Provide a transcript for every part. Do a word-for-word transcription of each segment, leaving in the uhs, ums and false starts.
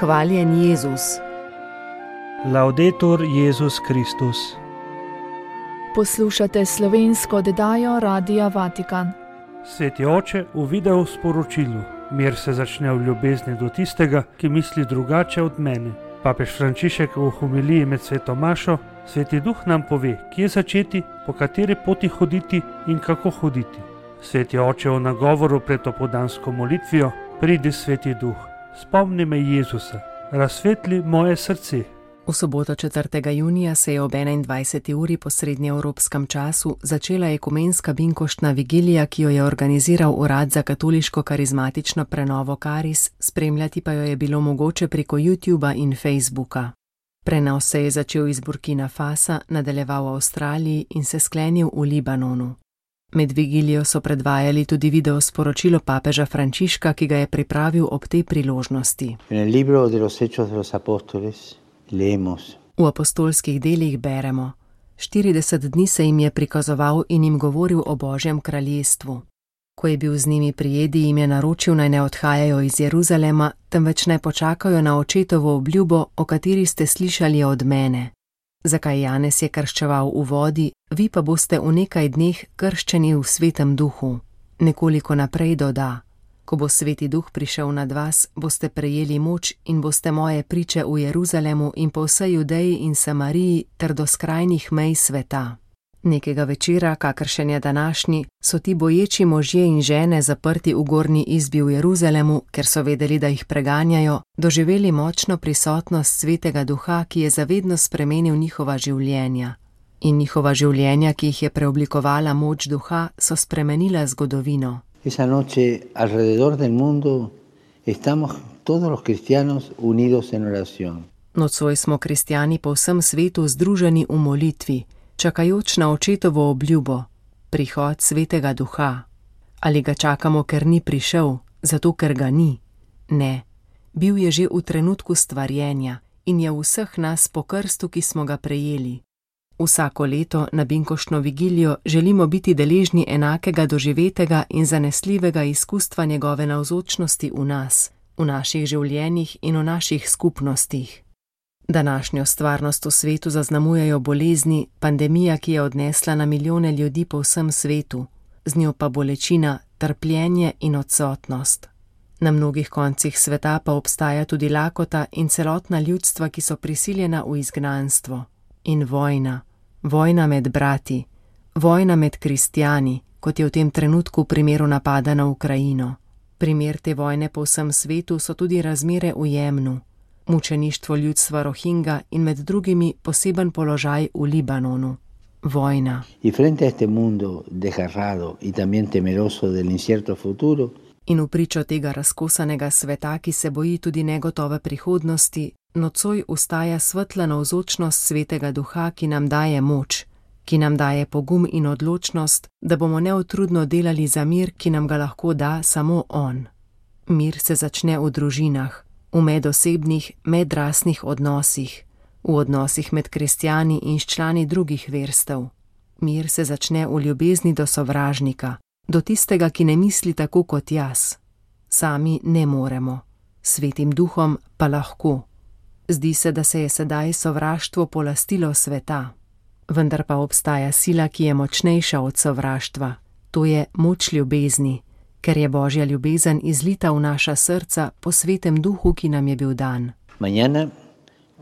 Hvaljen Jezus. Laudetur Jezus Kristus. Poslušate slovensko oddajo Radia Vatikan. Sveti oče, v video sporočilu: mir se začne v ljubezni do tistega, ki misli drugače od mene. Papež Frančišek v homiliji med sveto mašo: Sveti duh nam pove, kje začeti, po kateri poti hoditi in kako hoditi. Sveti oče v nagovoru pred opoldansko molitvijo: Pridi, Sveti duh, spomni me Jezusa, razsvetli moje srce. V soboto četrtega junija se je ob enaindvajseti uri po srednjeevropskem času začela ekumenska binkoštna vigilija, ki jo je organiziral Urad za katoliško karizmatično prenovo Karis, spremljati pa jo je bilo mogoče preko YouTuba in Facebooka. Prenos se je začel iz Burkina Fasa, nadaljeval v Avstraliji in se sklenil v Libanonu. Med vigilijo so predvajali tudi video sporočilo papeža Frančiška, ki ga je pripravil ob tej priložnosti. V apostolskih delih beremo: štirideset dni se jim je prikazoval in jim govoril o Božjem kraljestvu. Ko je bil z njimi pri jedi, jim je naročil, naj ne odhajajo iz Jeruzalema, temveč naj počakajo na očetovo obljubo, o kateri ste slišali od mene. Zakaj Janez je krščeval v vodi, vi pa boste v nekaj dneh krščeni v svetem duhu. Nekoliko naprej doda: ko bo Sveti duh prišel nad vas, boste prejeli moč in boste moje priče v Jeruzalemu in po vsej Judeji in Samariji ter do skrajnih mej sveta. Nekega večera, kakršen je današnji, so ti boječi možje in žene zaprti v gornji izbi v Jeruzalemu, ker so vedeli, da jih preganjajo, doživeli močno prisotnost Svetega duha, ki je zavedno spremenil njihova življenja. In njihova življenja, ki jih je preoblikovala moč duha, so spremenila zgodovino. Esa noche, alrededor del mundo, estamos todos los cristianos unidos en oración. Nocoj smo kristjani po vsem svetu združeni v molitvi, čakajoč na očetovo obljubo, prihod Svetega duha. Ali ga čakamo, ker ni prišel, zato ker ga ni? Ne, bil je že v trenutku stvarjenja in je v vseh nas po krstu, ki smo ga prejeli. Vsako leto na binkoštno vigilijo želimo biti deležni enakega doživetega in zanesljivega izkustva njegove navzočnosti v nas, v naših življenjih in v naših skupnostih. Današnjo stvarnost v svetu zaznamujejo bolezni, pandemija, ki je odnesla na milijone ljudi po vsem svetu, z njo pa bolečina, trpljenje in odsotnost. Na mnogih koncih sveta pa obstaja tudi lakota in celotna ljudstva, ki so prisiljena v izgnanstvo. In vojna, vojna med brati, vojna med kristjani, kot je v tem trenutku v primeru napada na Ukrajino. Primer te vojne po vsem svetu so tudi razmere v Jemnu, mučeništvo ljudstva Rohingja in med drugimi poseben položaj v Libanonu. Vojna. Y frente a este mundo desgarrado y también temeroso del incierto futuro, in v pričo tega razkosanega sveta, ki se boji tudi negotove prihodnosti, nocoj ustaja svetla navzočnost Svetega duha, ki nam daje moč, ki nam daje pogum in odločnost, da bomo neutrudno delali za mir, ki nam ga lahko da samo on. Mir se začne v družinah, v medosebnih, medrasnih odnosih, v odnosih med kristjani in s člani drugih verstev. Mir se začne v ljubezni do sovražnika, do tistega, ki ne misli tako kot jaz. Sami ne moremo, Svetim duhom pa lahko. Zdi se, da se je sedaj sovraštvo polastilo sveta. Vendar pa obstaja sila, ki je močnejša od sovraštva. To je moč ljubezni, ker je Božja ljubezen izlita v naša srca po Svetem duhu, ki nam je bil dan. Mañana,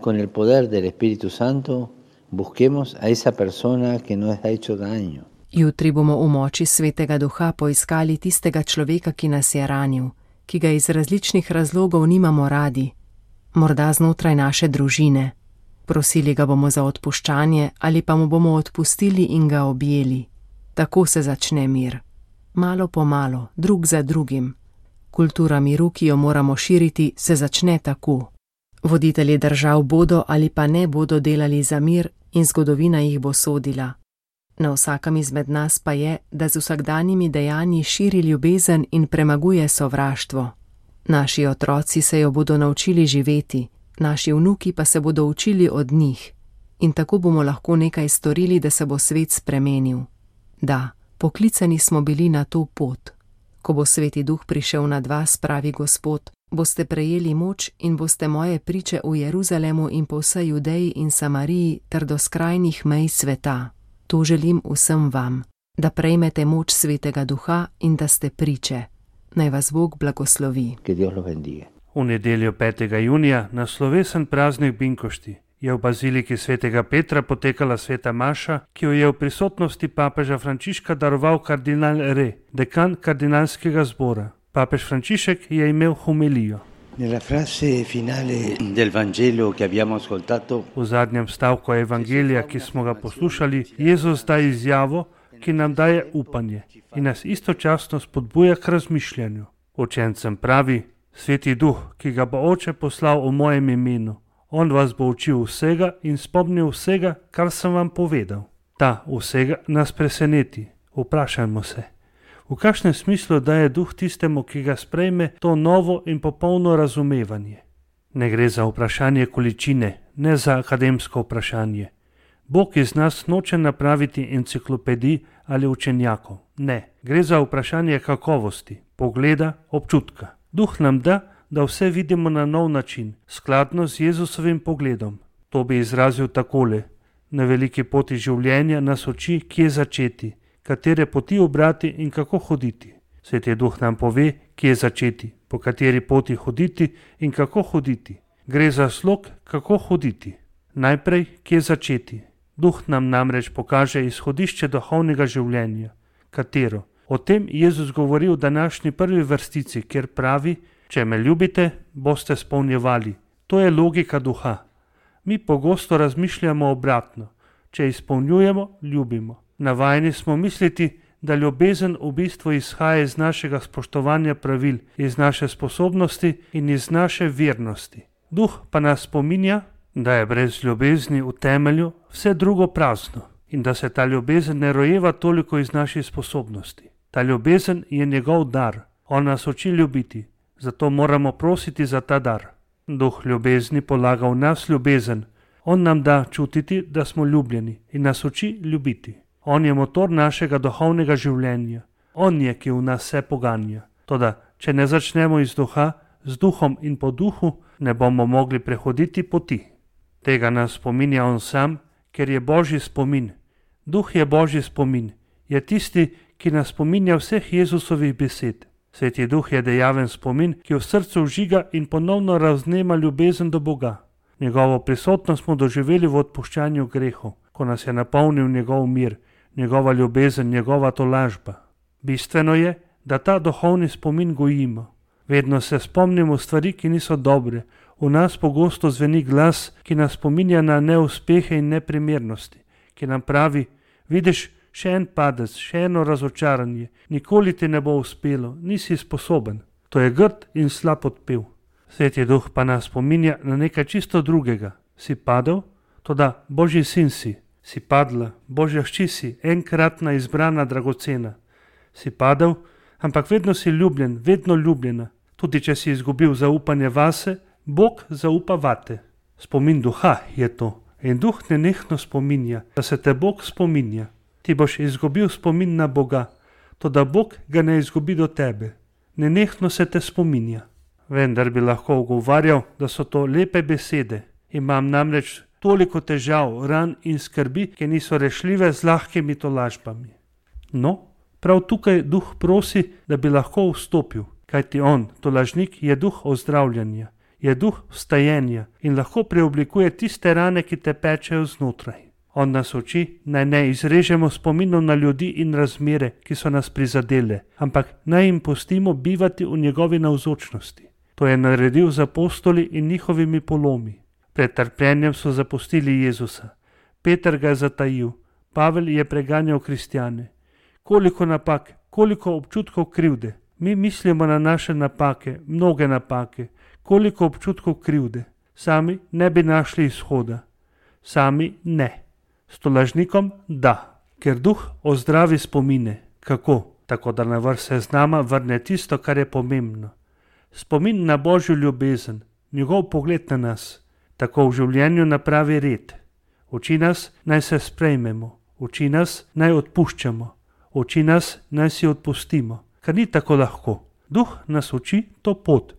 con el poder del Espíritu Santo, busquemos a esa persona que nos ha hecho daño. Jutri bomo v moči Svetega duha poiskali tistega človeka, ki nas je ranil, ki ga iz različnih razlogov nimamo radi, morda znotraj naše družine. Prosili ga bomo za odpuščanje ali pa mu bomo odpustili in ga objeli. Tako se začne mir. Malo po malo, drug za drugim. Kultura miru, ki jo moramo širiti, se začne tako. Voditelji držav bodo ali pa ne bodo delali za mir in zgodovina jih bo sodila. Na vsakem izmed nas pa je, da z vsakdanjimi dejanji širi ljubezen in premaguje sovraštvo. Naši otroci se jo bodo naučili živeti, naši vnuki pa se bodo učili od njih. In tako bomo lahko nekaj storili, da se bo svet spremenil. Da, poklicani smo bili na to pot. Ko bo Sveti duh prišel nad vas, pravi Gospod, boste prejeli moč in boste moje priče v Jeruzalemu in po vsej Judeji in Samariji ter do skrajnih mej sveta. To želim vsem vam, da prejmete moč Svetega Duha in da ste priče. Naj vas Bog blagoslovi. V nedeljo petega junija, na slovesen praznik Binkošti, je v baziliki svetega Petra potekala sveta maša, ki jo je v prisotnosti papeža Frančiška daroval kardinal Re, dekan kardinalskega zbora. Papež Frančišek je imel homilijo. Nella frase finale del Vangelo che abbiamo ascoltato, v zadnjem stavku evangelija, ki smo ga poslušali, Jezus daje izjavo, ki nam daje upanje in nas istočasno spodbuja k razmišljanju. Učencem pravi: Sveti Duh, ki ga bo Oče poslal v mojem imenu, on vas bo učil vsega in spomnil vsega, kar sem vam povedal. Ta vsega nas preseneti. Vprašajmo se, v kakšnem smislu daje Duh tistemu, ki ga sprejme, to novo in popolno razumevanje. Ne gre za vprašanje količine, ne za akademsko vprašanje. Bog iz nas noče napraviti enciklopedij ali učenjakov. Ne, gre za vprašanje kakovosti, pogleda, občutka. Duh nam da, da vse vidimo na nov način, skladno z Jezusovim pogledom. To bi izrazil takole: na veliki poti življenja nas uči, kje začeti, katere poti ubrati in kako hoditi. Sveti Duh nam pove, kje začeti, po kateri poti hoditi in kako hoditi. Gre za slog, kako hoditi. Najprej, kje začeti. Duh nam namreč pokaže izhodišče duhovnega življenja. Katero? O tem Jezus govori v današnji prvi vrstici, kjer pravi: če me ljubite, boste spolnjevali. To je logika Duha. Mi pogosto razmišljamo obratno. Če izpolnjujemo, ljubimo. Navajeni smo misliti, da ljubezen v bistvu izhaja iz našega spoštovanja pravil, iz naše sposobnosti in iz naše vernosti. Duh pa nas spominja, da je brez ljubezni v temelju vse drugo prazno in da se ta ljubezen ne rojeva toliko iz naših sposobnosti. Ta ljubezen je njegov dar. On nas uči ljubiti, zato moramo prositi za ta dar. Duh ljubezni polaga v nas ljubezen. On nam da čutiti, da smo ljubljeni in nas uči ljubiti. On je motor našega duhovnega življenja. On je, ki v nas vse poganja. Toda, če ne začnemo iz duha, z duhom in po duhu, ne bomo mogli prehoditi poti. Tega nas spominja on sam, ker je Božji spomin. Duh je Božji spomin. Je tisti, ki nas spominja vseh Jezusovih besed. Sveti Duh je dejaven spomin, ki v srcu vžiga in ponovno raznema ljubezen do Boga. Njegovo prisotnost smo doživeli v odpuščanju grehov, ko nas je napolnil njegov mir, njegova ljubezen, njegova tolažba. Bistveno je, da ta duhovni spomin gojimo. Vedno se spomnimo stvari, ki niso dobre. V nas pogosto zveni glas, ki nas spominja na neuspehe in neprimernosti, ki nam pravi: vidiš, še en padec, še eno razočaranje, nikoli ti ne bo uspelo, nisi sposoben. To je grd in slab odpev. Sveti Duh pa nas spominja na nekaj čisto drugega. Si padel? Toda Božji sin si. Si padla, Božja hči si, enkratna izbrana, dragocena. Si padel, ampak vedno si ljubljen, vedno ljubljena. Tudi če si izgubil zaupanje vase, Bog zaupa vate. Spomin Duha je to. In Duh nenehno spominja, da se te Bog spominja. Ti boš izgubil spomin na Boga, toda Bog ga ne izgubi do tebe. Nenehno se te spominja. Vendar bi lahko ugovarjal, da so to lepe besede. Imam namreč toliko težav, ran in skrbi, ki niso rešljive z lahkimi tolažbami. No, prav tukaj Duh prosi, da bi lahko vstopil, kajti on, tolažnik, je duh ozdravljanja, je duh vstajenja in lahko preoblikuje tiste rane, ki te pečejo znotraj. On nas uči, naj ne izrežemo spominov na ljudi in razmere, ki so nas prizadele, ampak naj jim pustimo bivati v njegovi navzočnosti. To je naredil z apostoli in njihovimi polomi. Pred trpljenjem so zapustili Jezusa. Peter ga je zatajil, Pavel je preganjal kristjane. Koliko napak, koliko občutkov krivde. Mi mislimo na naše napake, mnoge napake, koliko občutkov krivde. Sami ne bi našli izhoda. Sami ne. S tolažnikom da, ker Duh ozdravi spomine. Kako? Tako da na vrh seznama vrne tisto, kar je pomembno. Spomin na Božjo ljubezen, njegov pogled na nas. Tako v življenju napravi red. Uči nas, naj se sprejmemo. Uči nas, naj odpuščamo. Uči nas, naj si odpustimo. Kar ni tako lahko. Duh nas uči to pot.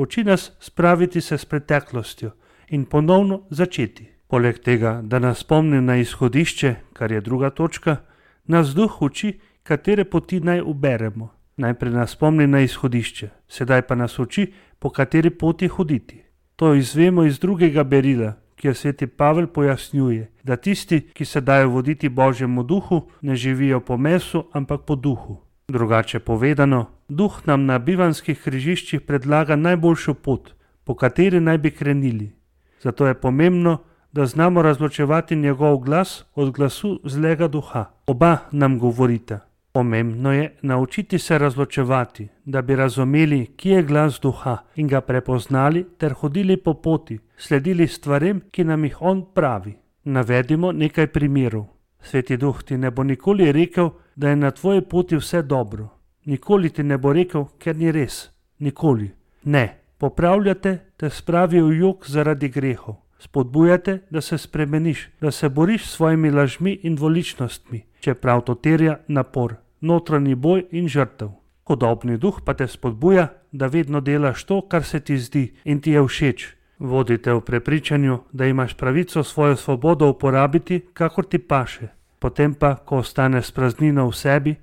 Uči nas spraviti se s preteklostjo in ponovno začeti. Poleg tega, da nas spomni na izhodišče, kar je druga točka, nas Duh uči, katere poti naj uberemo. Najprej nas spomni na izhodišče, sedaj pa nas uči, po kateri poti hoditi. To izvemo iz drugega berila, kjer sveti Pavel pojasnjuje, da tisti, ki se dajo voditi Božjemu duhu, ne živijo po mesu, ampak po duhu. Drugače povedano, Duh nam na bivanskih križiščih predlaga najboljšo pot, po kateri naj bi krenili. Zato je pomembno, da znamo razločevati njegov glas od glasu zlega duha. Oba nam govorita. Pomembno je naučiti se razločevati, da bi razumeli, kje je glas duha in ga prepoznali ter hodili po poti, sledili stvarem, ki nam jih on pravi. Navedimo nekaj primerov. Sveti Duh ti ne bo nikoli rekel, da je na tvoji poti vse dobro. Nikoli ti ne bo rekel, ker ni res. Nikoli. Ne. Popravljate te spravi v jok zaradi grehov. Spodbujate, da se spremeniš, da se boriš s svojimi lažmi in dvoličnostmi, čeprav to terja napor, notranji boj in žrtev. Hudobni duh pa te spodbuja, da vedno delaš to, kar se ti zdi in ti je všeč. Vodite v prepričanju, da imaš pravico svojo svobodo uporabiti, kakor ti paše. Potem pa, ko ostane spraznina v sebi,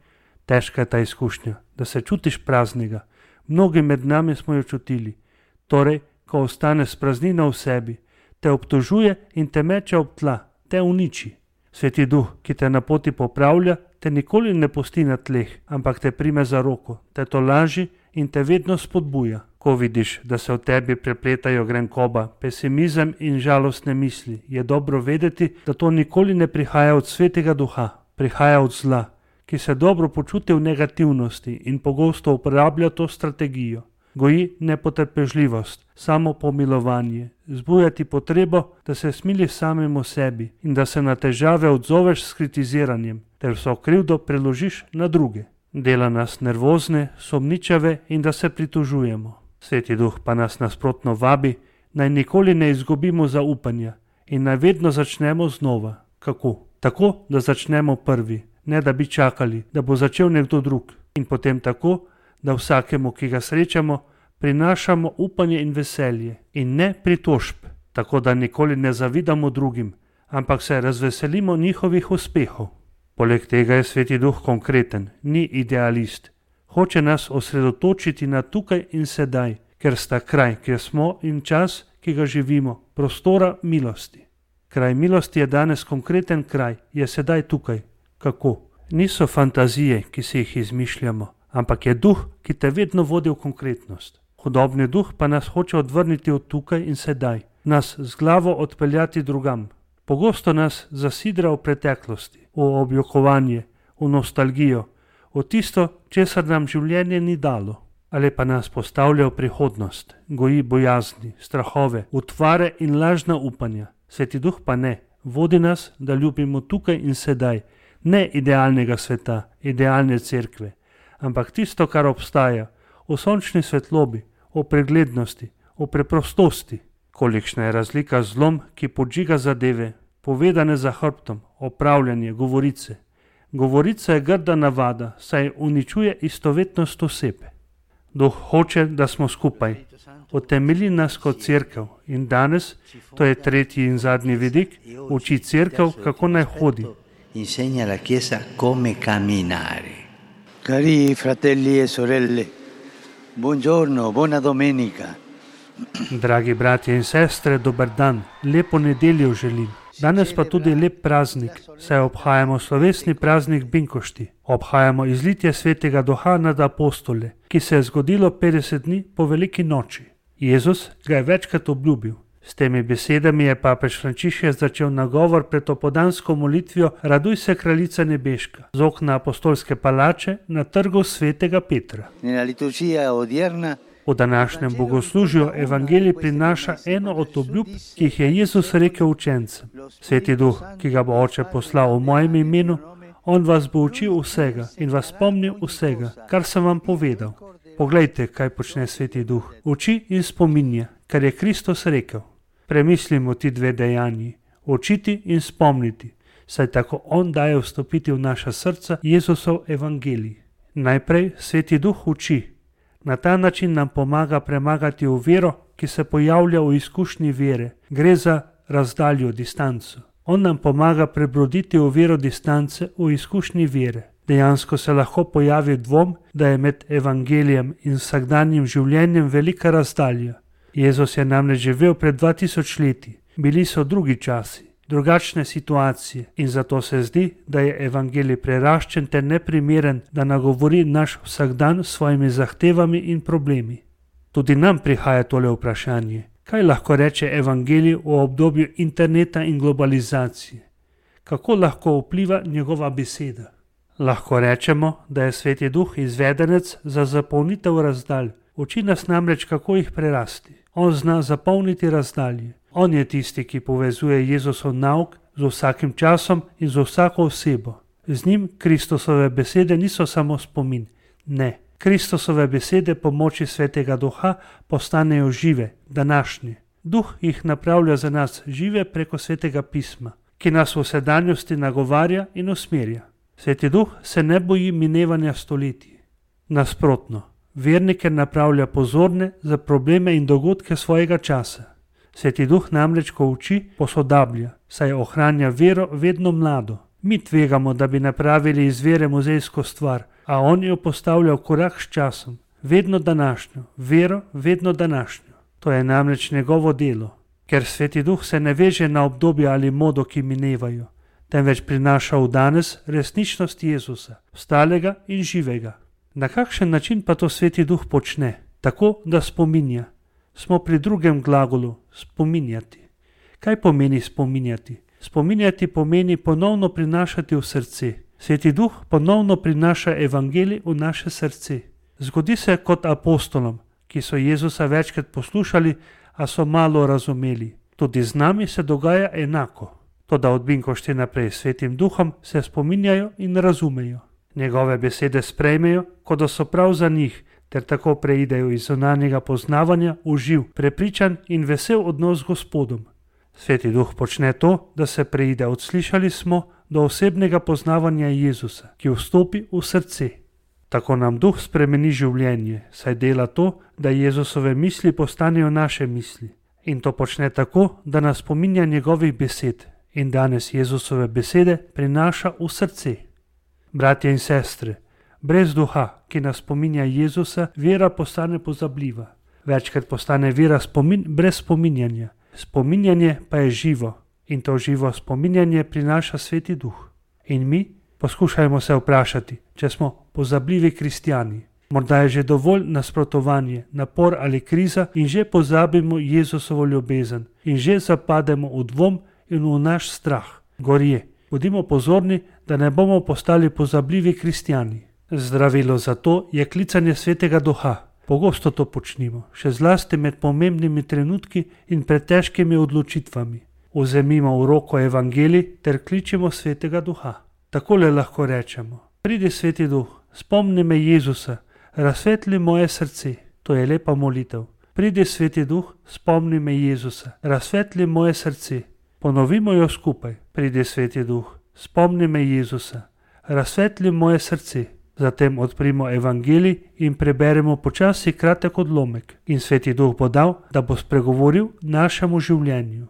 težka je ta izkušnja, da se čutiš praznega. Mnogi med nami smo jo čutili. Torej, ko ostane spraznina v sebi, te obtožuje in te meče ob tla, te uniči. Sveti Duh, ki te na poti popravlja, te nikoli ne pusti na tleh, ampak te prime za roko, te tolaži in te vedno spodbuja. Ko vidiš, da se v tebi prepletajo grenkoba, pesimizem in žalostne misli, je dobro vedeti, da to nikoli ne prihaja od Svetega Duha, prihaja od zla, ki se dobro počuti v negativnosti in pogosto uporablja to strategijo. Goji nepotrpežljivost, samo pomilovanje, zbujati potrebo, da se smiliš samemu sebi in da se na težave odzoveš s kritiziranjem, ter vso krivdo preložiš na druge. Dela nas nervozne, sumničave in da se pritožujemo. Sveti Duh pa nas nasprotno vabi, naj nikoli ne izgubimo zaupanja in naj vedno začnemo znova. Kako? Tako, da začnemo prvi, ne da bi čakali, da bo začel nekdo drug, in potem tako, da vsakemu, ki ga srečamo, prinašamo upanje in veselje in ne pritožb, tako da nikoli ne zavidamo drugim, ampak se razveselimo njihovih uspehov. Poleg tega je Sveti Duh konkreten, ni idealist. Hoče nas osredotočiti na tukaj in sedaj, ker sta kraj, kjer smo, in čas, ki ga živimo, prostora milosti. Kraj milosti je danes konkreten kraj, je sedaj tukaj. Kako? Niso fantazije, ki si jih izmišljamo, ampak je duh, ki te vedno vodi v konkretnost. Hudobni duh pa nas hoče odvrniti od tukaj in sedaj, nas z glavo odpeljati drugam. Pogosto nas zasidra v preteklosti, v objokovanje, v nostalgijo, v tisto, česar nam življenje ni dalo. Ali pa nas postavlja v prihodnost, goji bojazni, strahove, utvare in lažna upanja. Sveti Duh pa ne, vodi nas, da ljubimo tukaj in sedaj, ne idealnega sveta, idealne cerkve, ampak tisto, kar obstaja, v sončni svetlobi, v preglednosti, v preprostosti. Kolikšna je razlika z zlom, ki podžiga zadeve, povedane za hrbtom, opravljanje, govorice. Govorica je grda navada, saj uničuje istovetnost osebe. Duh hoče, da smo skupaj. Utemelji nas kot cerkev in danes, to je tretji in zadnji vidik, uči cerkev, kako naj hodi. Insegna la Chiesa come camminare. Cari fratelli e sorelle, buongiorno, buona domenica. Dragi bratje in sestre, dober dan, lepo nedeljo želim. Danes pa tudi lep praznik, saj obhajamo slovesni praznik Binkošti. Obhajamo izlitje Svetega Duha nad apostole, ki se je zgodilo petdeset dni po veliki noči. Jezus ga je večkrat obljubil. S temi besedami je papež Frančišek začel nagovor pred opoldansko molitvijo Raduj se, kraljica nebeška, z okna apostolske palače na trgu Svetega Petra. V današnjem bogoslužju evangelij prinaša eno od obljub, ki jih je Jezus rekel učencem. Sveti Duh, ki ga bo Oče poslal v mojem imenu, on vas bo učil vsega in vas spomnil vsega, kar sem vam povedal. Poglejte, kaj počne Sveti Duh. Uči in spominja, kar je Kristus rekel. Premislimo ti dve dejanji, učiti in spomniti, saj tako on daje vstopiti v naša srca Jezusov evangelij. Najprej Sveti Duh uči, Na ta način nam pomaga premagati oviro, ki se pojavlja v izkušnji vere. Gre za razdaljo, distanco. On nam pomaga prebroditi oviro distance v izkušnji vere. Dejansko se lahko pojavi dvom, da je med evangelijem in vsakdanjim življenjem velika razdalja. Jezus je namreč živel pred dva tisoč leti. Bili so drugi časi, drugačne situacije in zato se zdi, da je evangelij preraščen ter neprimeren, da nagovori naš vsakdan s svojimi zahtevami in problemi. Tudi nam prihaja tole vprašanje. Kaj lahko reče evangelij v obdobju interneta in globalizacije? Kako lahko vpliva njegova beseda? Lahko rečemo, da je Sveti Duh izvedenec za zapolnitev razdalj. Uči nas namreč, kako jih prerasti. On zna zapolniti razdalje. On je tisti, ki povezuje Jezusov nauk z vsakim časom in z vsako osebo. Z njim Kristusove besede niso samo spomin. Ne, Kristusove besede pomoči Svetega Duha postanejo žive, današnje. Duh jih napravlja za nas žive preko Svetega pisma, ki nas v sedanjosti nagovarja in usmerja. Sveti Duh se ne boji minevanja stoletij. Nasprotno, vernike napravlja pozorne za probleme in dogodke svojega časa. Sveti Duh namreč, ko uči, posodablja, saj ohranja vero vedno mlado. Mi tvegamo, da bi napravili iz vere muzejsko stvar, a on jo postavlja v korak s časom, vedno današnjo, vero vedno današnjo. To je namreč njegovo delo, ker Sveti Duh se ne veže na obdobje ali modo, ki minevajo, temveč prinaša v danes resničnost Jezusa, stalega in živega. Na kakšen način pa to Sveti Duh počne? Tako, da spominja. Smo pri drugem glagolu, spominjati. Kaj pomeni spominjati? Spominjati pomeni ponovno prinašati v srce. Sveti Duh ponovno prinaša evangelij v naše srce. Zgodi se kot apostolom, ki so Jezusa večkrat poslušali, a so malo razumeli. Tudi z nami se dogaja enako. Toda od Binkošti naprej s Svetim Duhom se spominjajo in razumejo. Njegove besede sprejmejo, kot da so prav za njih, ter tako preidejo iz zunanjega poznavanja v živ, prepričan in vesel odnos z Gospodom. Sveti Duh počne to, da se preide od slišali smo do osebnega poznavanja Jezusa, ki vstopi v srce. Tako nam Duh spremeni življenje, saj dela to, da Jezusove misli postanejo naše misli. In to počne tako, da nas spominja njegovih besed in danes Jezusove besede prinaša v srce. Bratje in sestre, brez Duha, ki nas spominja Jezusa, vera postane pozabljiva. Večkrat postane vera spomin brez spominjanja. Spominjanje pa je živo in to živo spominjanje prinaša Sveti Duh. In mi poskušajmo se vprašati, če smo pozabljivi kristjani. Morda je že dovolj nasprotovanje, napor ali kriza in že pozabimo Jezusovo ljubezen in že zapademo v dvom in v naš strah. Gorje, bodimo pozorni, da ne bomo postali pozabljivi kristjani. Zdravilo za to je klicanje Svetega Duha. Pogosto to počnimo, še zlasti med pomembnimi trenutki in pred težkimi odločitvami. Vzemimo v roko evangelij ter kličemo Svetega Duha. Takole lahko rečemo: pridi Sveti Duh, spomni me Jezusa, razsvetli moje srce. To je lepa molitev. Pridi Sveti Duh, spomni me Jezusa, razsvetli moje srce. Ponovimo jo skupaj. Pridi Sveti Duh, spomni me Jezusa, razsvetli moje srce. Zatem odprimo evangelij in preberemo počasi kratek odlomek in Sveti Duh bo dal, da bo spregovoril našemu življenju.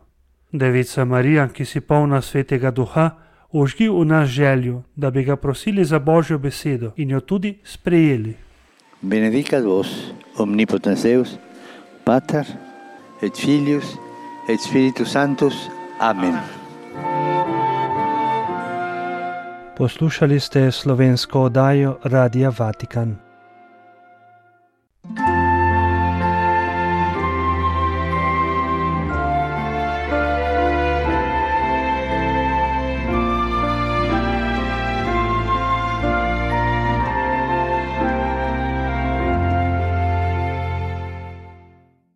Devica Marija, ki si polna Svetega Duha, ožgi v nas željo, da bi ga prosili za Božjo besedo in jo tudi sprejeli. Benedicat vos, omnipotens Deus, Pater, et Filius, et Spiritus Sanctus. Amen. Poslušali ste slovensko oddajo Radia Vatikan.